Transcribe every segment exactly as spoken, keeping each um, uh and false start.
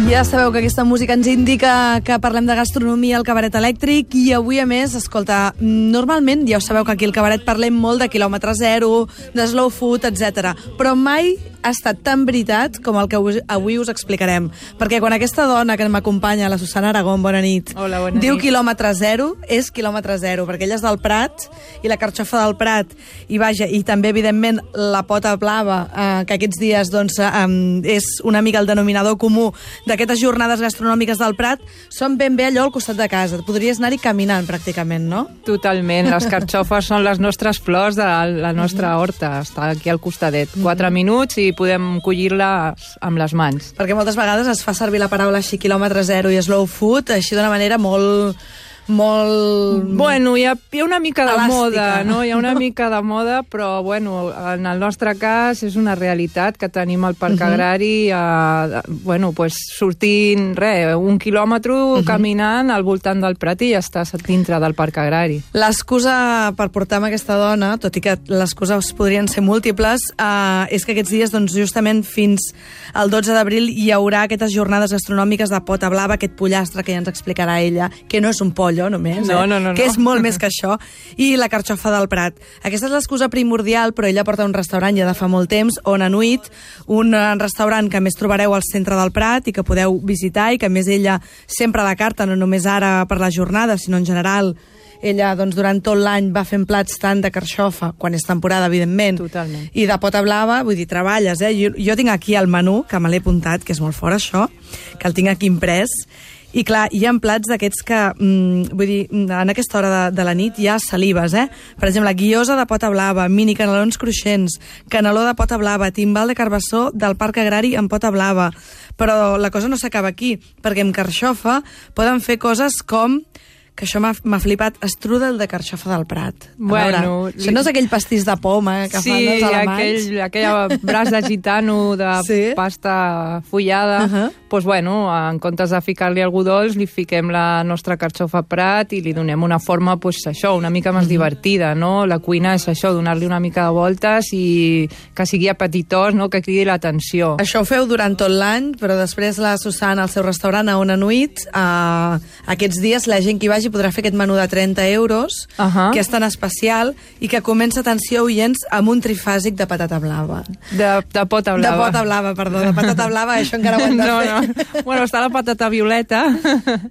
Ja sabeu que aquesta música ens indica que parlem de gastronomia al Cabaret Elèctric i avui, a més, escolta, normalment ja ho sabeu que aquí al Cabaret parlem molt de quilòmetre zero, de slow food, etcètera. Però mai ha estat tan veritat com el que avui us explicarem. Perquè quan aquesta dona que m'acompanya, la Susana Aragón, bona nit, Hola, bona diu nit. quilòmetre zero, és quilòmetre zero, perquè ella és del Prat i la carxofa del Prat, i vaja, i també, evidentment, la pota blava, eh, que aquests dies doncs, eh, és una mica el denominador comú d'aquestes jornades gastronòmiques del Prat, són ben bé allò al costat de casa. Podries anar-hi caminant, pràcticament, no? Totalment. Les carxofes són les nostres flors de la nostra horta. Està aquí al costadet. Quatre minuts i podem collir-les amb les mans. Perquè moltes vegades es fa servir la paraula així, quilòmetre zero i slow food, així d'una manera molt... molt... Bueno, hi ha, hi ha una mica de elàstica. moda, no? Hi ha una mica de moda, però, bueno, en el nostre cas és una realitat que tenim al Parc uh -huh. Agrari, eh, bueno, pues, sortint, re, un quilòmetre uh -huh. caminant al voltant del Prat i ja estàs dintre del Parc Agrari. L'excusa per portar amb aquesta dona, tot i que les excuses podrien ser múltiples, eh, és que aquests dies, doncs, justament fins al dotze d'abril, hi haurà aquestes jornades gastronòmiques de pota blava, aquest pollastre que ja ens explicarà ella, que no és un pollo, només, no, eh? no, no, que no. és molt més que això, i la carxofa del Prat. Aquesta és l'excusa primordial, però ella porta un restaurant ja de fa molt temps, On Anuit, un restaurant que a més trobareu al centre del Prat i que podeu visitar i que a més ella sempre a la carta, no només ara per la jornada, sinó en general. Ella, doncs, durant tot l'any va fent plats tant de carxofa, quan és temporada, evidentment, Totalment. i de pota blava, vull dir, treballes, eh? Jo, jo tinc aquí el menú, que me l'he apuntat, que és molt fort, això, que el tinc aquí imprès, i clar, hi ha plats d'aquests que, mm, vull dir, en aquesta hora de, de la nit hi ha salives, eh? Per exemple, guiosa de pota blava, mini canelons cruixents, caneló de pota blava, timbal de carbassó del Parc Agrari en pota blava. Però la cosa no s'acaba aquí, perquè amb carxofa poden fer coses com, que això m'ha flipat, strudel de carxofa del Prat. A Bueno, veure, això no és aquell pastís de poma que sí, fan els alemanys? aquell, aquell braç de gitano de Sí? pasta fullada. Uh -huh. Doncs, bueno, en comptes de ficar-li algú dolç, li fiquem la nostra carxofa Prat i li donem una forma, doncs, això, una mica més uh -huh. divertida, no? La cuina és això, donar-li una mica de voltes i que sigui apetitós, no? Que cridi l'atenció. Això ho feu durant tot l'any, però després la Susana, al seu restaurant a On Anuit, eh, aquests dies la gent que hi vagi podrà fer aquest menú de trenta euros, Uh -huh. que és tan especial, i que comença, atenció, oients, amb un trifàsic de patata blava. De, de pota blava. De pota blava, perdó, de patata blava, això encara ho hem de no, fer. no. Bueno, està la patata violeta.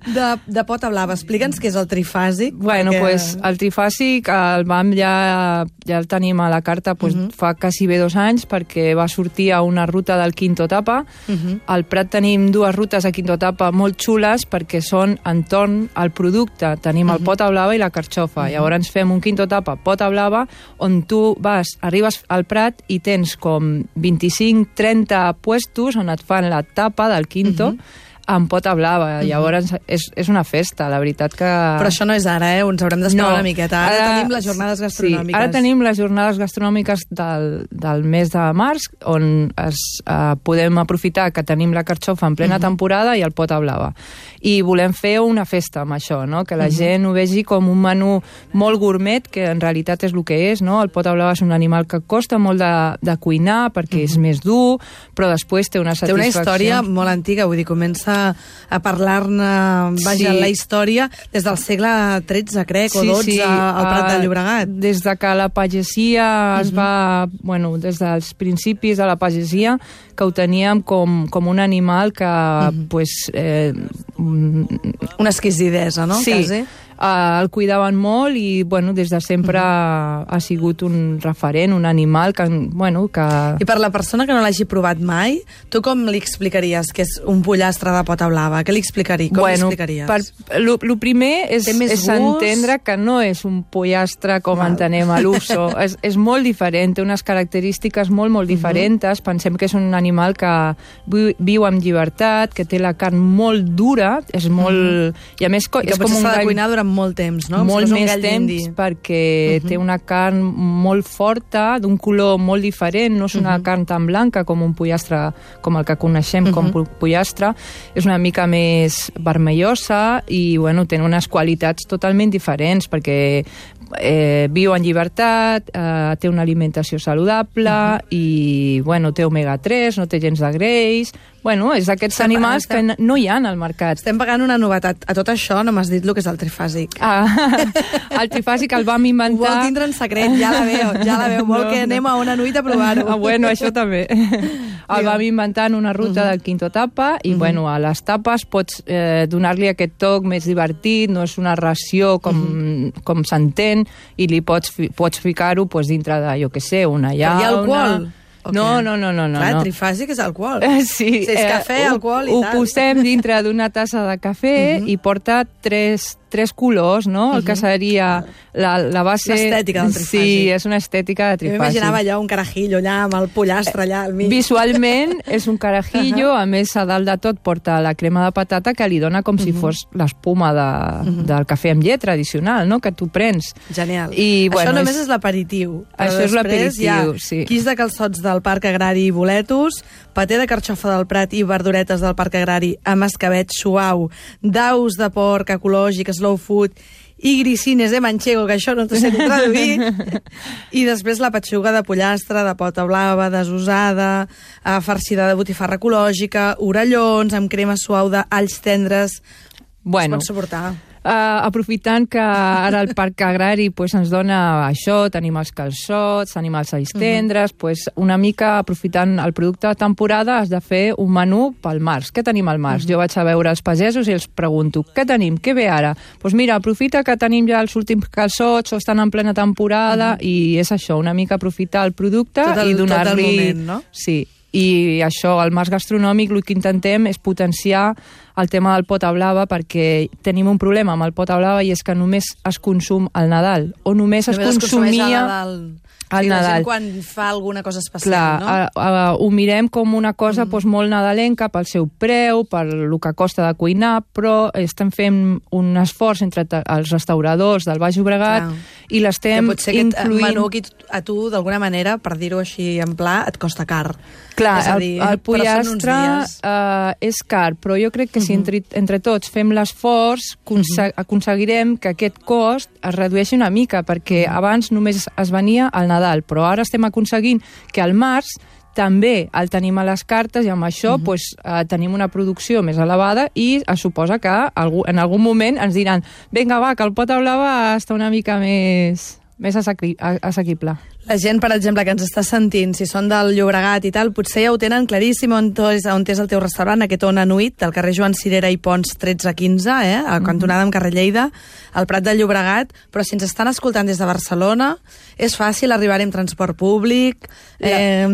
De, de pota blava. Explica'ns què és el trifàsic. Bueno, perquè... pues, el trifàsic el vam ja, ja el tenim a la carta pues, uh -huh. fa quasi bé dos anys perquè va sortir a una ruta del Quinto Etapa. Uh -huh. Al Prat tenim dues rutes a Quinto Etapa molt xules perquè són entorn al producte. Tenim uh -huh. el pota blava i la carxofa. Uh -huh. Llavors fem un Quinto Etapa pota blava on tu vas, arribes al Prat i tens com vint-i-cinc trenta puestos on et fan la tapa del Quinto uh -huh. amb pota blava. Uh-huh. Llavors és, és una festa, la veritat que... Però això no és ara, eh? Ens haurem d'esperar no. una miqueta. Ara, ara tenim les jornades gastronòmiques. Sí, ara tenim les jornades gastronòmiques del, del mes de març, on es, uh, podem aprofitar que tenim la carxofa en plena uh-huh. temporada i el pota blava. I volem fer una festa amb això, no? Que la uh-huh. gent ho vegi com un menú molt gourmet, que en realitat és el que és, no? El pota blava és un animal que costa molt de, de cuinar perquè uh-huh. és més dur, però després té una satisfacció. Té una història molt antiga, vull dir, comença a parlar-ne, vaja, sí. la història des del segle tretze, crec, sí, o dotze, sí. al Prat del Llobregat. Uh, des de que la pagesia uh-huh. es va... Bueno, des dels principis de la pagesia, que ho teníem com, com un animal que, uh-huh. pues... Eh, una exquisidesa, no? Sí. Quasi. Uh, el cuidaven molt i, bueno, des de sempre uh-huh. ha sigut un referent, un animal que, bueno, que... I per la persona que no l'hagi provat mai, tu com li explicaries que és un pollastre de pota blava? Què li explicaries? Com bueno, li explicaries? Per, lo, lo primer és, és entendre que no és un pollastre com Val. entenem a l'uso. és, és molt diferent, té unes característiques molt, molt diferents. Uh-huh. Pensem que és un animal que viu, viu amb llibertat, que té la carn molt dura, és molt... Uh-huh. I a més, I que és com un s'ha de gall... cuinar durant molt temps, no? Molt més temps, d'indi. perquè uh-huh. té una carn molt forta, d'un color molt diferent, no és una uh-huh. carn tan blanca com un pollastre, com el que coneixem uh-huh. com pollastre, és una mica més vermellosa i, bueno, té unes qualitats totalment diferents, perquè eh, viu en llibertat, eh, té una alimentació saludable uh-huh. i, bueno, té omega tres, no té gens de greix, Bueno, és d'aquests animals que no hi ha al mercat. Estem pagant una novetat. A tot això no m'has dit el que és el trifàsic. Ah, el trifàsic el vam inventar... Ho vol tindre en secret, ja la veu, ja la veu. Vol no, que anem a una nuit a provar-ho. Ah, bueno, això també. El vam inventar en una ruta uh -huh. del Quinto Tapa i, uh -huh. bueno, a les tapes pots eh, donar-li aquest toc més divertit, no és una ració com, uh -huh. com s'entén, i li pots, pots ficar-ho pues, dintre de, jo què sé, una llauna... Però hi ha alcohol? No, no, no, no. Clar, no. trifàsic és alcohol. Sí. Si és cafè, eh, alcohol i ho, tal. Ho posem dintre d'una tassa de cafè uh -huh. i porta tres, tres colors, no? Uh -huh. El que seria la, la base... L'estètica del trifàsic. Sí, és una estètica de trifàsic. Jo m'imaginava allà un carajillo allà amb el pollastre allà al mig. Visualment és un carajillo, uh -huh. a més a dalt de tot porta la crema de patata que li dona com uh -huh. si fos l'espuma de, uh -huh. del cafè amb llet tradicional, no? Que tu prens. Genial. I, bueno, això només és, és l'aperitiu. Això és l'aperitiu, sí. Quis de calçots del Parc Agrari i boletos, paté de carxofa del Prat i verduretes del Parc Agrari amb escabet suau, daus de porc ecològic, slow food i grissines de manchego, que això no t'ho sé traduir, i després la petxuga de pollastre, de pota blava, desusada, farcida de botifarra ecològica, orellons amb crema suau d'alls tendres. Bueno, es pot suportar. Uh, aprofitant que ara el Parc Agrari pues, ens dona això, tenim els calçots, tenim els alls tendres, uh -huh. pues, una mica aprofitant el producte de temporada has de fer un menú pel març. Què tenim al març? Uh -huh. Jo vaig a veure els pagesos i els pregunto, què tenim? Què ve ara? Doncs pues mira, aprofita que tenim ja els últims calçots o estan en plena temporada uh -huh. i és això, una mica aprofitar el producte tot el, i donar-li... Tot el moment, no? Sí. I això, al març gastronòmic, el que intentem és potenciar el tema del pota blava, perquè tenim un problema amb el pota blava i és que només es consum al Nadal, o només, només es consumia... Es Nadal. Al sí, Nadal. Quan fa alguna cosa especial, clar, no? A, a, ho mirem com una cosa mm. doncs, molt nadalenca pel seu preu, per el que costa de cuinar, però estem fent un esforç entre els restauradors del Baix Llobregat clar. I l'estem incloent... Que potser menú aquí a tu, d'alguna manera, per dir-ho així en pla, et costa car. Clar, és a dir, el, el pollastre uh, és car, però jo crec que si entre, entre tots fem l'esforç, conseg aconseguirem que aquest cost es redueixi una mica, perquè abans només es venia al Nadal, però ara estem aconseguint que al març també el tenim a les cartes i amb això uh -huh. pues, uh, tenim una producció més elevada i es suposa que algú, en algun moment ens diran vinga va, que el pota blava està una mica més, més assequible. La gent, per exemple, que ens està sentint, si són del Llobregat i tal, potser ja ho tenen claríssim on és, on és el teu restaurant, aquest Ona Nuit, del carrer Joan Cirera i Pons tretze quinze, eh, a cantonada amb carrer Lleida, al Prat del Llobregat, però si ens estan escoltant des de Barcelona, és fàcil arribar amb transport públic. Eh,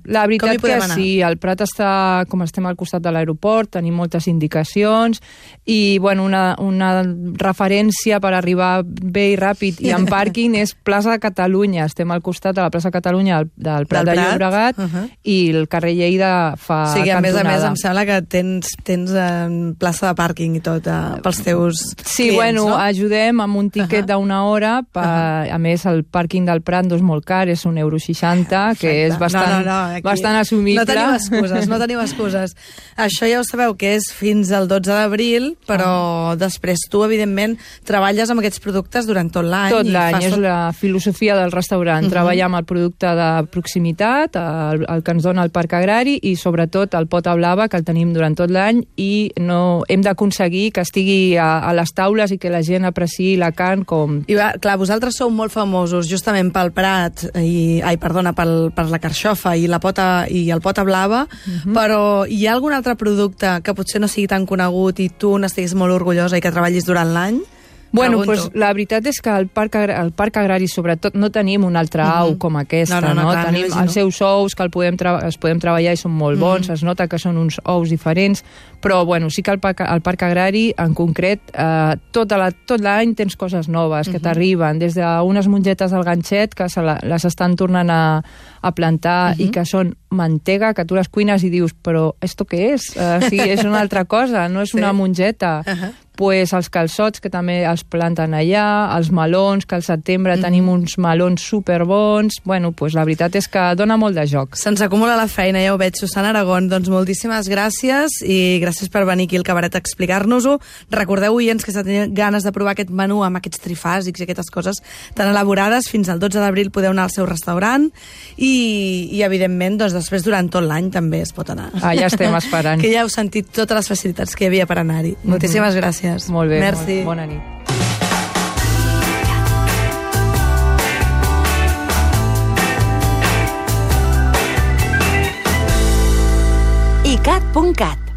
la, la veritat que anar? Sí, el Prat està, com estem al costat de l'aeroport, tenim moltes indicacions i, bueno, una, una referència per arribar bé i ràpid i en pàrquing és Plaça de Catalunya, estem al costat de la plaça Catalunya del, del Prat del de Llobregat uh -huh. i el carrer Lleida fa cantonada. O sigui, a més a més em sembla que tens, tens eh, plaça de pàrquing i tot eh, pels teus sí, clients, bueno, no? ajudem amb un tiquet uh -huh. d'una hora per, uh -huh. a més el pàrquing del Prat no és molt car, és un euro seixanta que és bastant, no, no, no, bastant assumible. No tenim excuses, no tenim excuses. Això ja ho sabeu que és fins al dotze d'abril, però uh -huh. després tu, evidentment, treballes amb aquests productes durant tot l'any. Tot l'any, és tot... la filosofia del restaurant, uh -huh. treballar amb el producte de proximitat, el, el que ens dona el Parc Agrari i sobretot el pota blava, que el tenim durant tot l'any i no hem d'aconseguir que estigui a, a les taules i que la gent apreciï la carn com... I va, clar, vosaltres sou molt famosos justament pel Prat i, ai, perdona, pel, per la carxofa i la pota i el pota blava, uh -huh. però hi ha algun altre producte que potser no sigui tan conegut i tu n'estiguis molt orgullosa i que treballis durant l'any? Bueno, pues, la veritat és que al Parc, al Parc Agrari, sobretot, no tenim una altra au uh -huh. com aquesta, no? no, no, no? Clar, tenim els seus ous que el podem els podem treballar i són molt bons, uh -huh. es nota que són uns ous diferents, però bueno, sí que al Parc, al Parc Agrari, en concret, eh, tota la, tot l'any tens coses noves que uh -huh. t'arriben, des d'unes mongetes del ganxet que se la, les estan tornant a, a plantar uh -huh. i que són mantega, que tu les cuines i dius, però esto què és? Uh, sí, és una altra cosa, no és sí. una mongeta. Uh -huh. pues, els calçots, que també els planten allà, els melons, que al setembre mm. tenim uns melons superbons. Bueno, pues, la veritat és que dona molt de joc. Se'ns acumula la feina, ja ho veig, Susana Aragón. Doncs moltíssimes gràcies i gràcies per venir aquí al cabaret a explicar-nos-ho. Recordeu, oients, que si teniu ganes de provar aquest menú amb aquests trifàsics i aquestes coses tan elaborades, fins al dotze d'abril podeu anar al seu restaurant i, i evidentment, doncs, després durant tot l'any també es pot anar. Ah, ja estem esperant. Que ja heu sentit totes les facilitats que hi havia per anar-hi. Mm-hmm. Moltíssimes gràcies. Molt bé, merci. Molt, bona nit. i cat punt cat